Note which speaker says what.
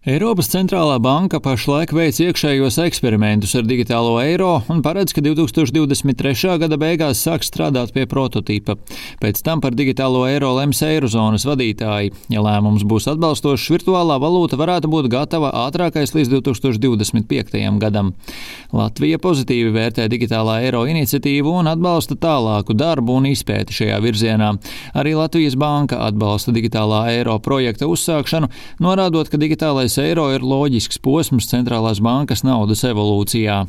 Speaker 1: Eiropas centrālā banka pašlaik veic iekšējos eksperimentus ar digitālo eiro un paredz, ka 2023. gada beigās sāks strādāt pie prototīpa. Pēc tam par digitālo eiro lems eirozonas vadītāji. Ja lēmums būs atbalstošs, virtuālā valūta varētu būt gatava ātrākais līdz 2025. gadam. Latvija pozitīvi vērtē digitālā eiro iniciatīvu un atbalsta tālāku darbu un izpēti šajā virzienā. Arī Latvijas banka atbalsta digitālā eiro projekta uzsākšanu, norādot, ka digitālais eiro ir loģisks posms centrālās bankas naudas evolūcijā.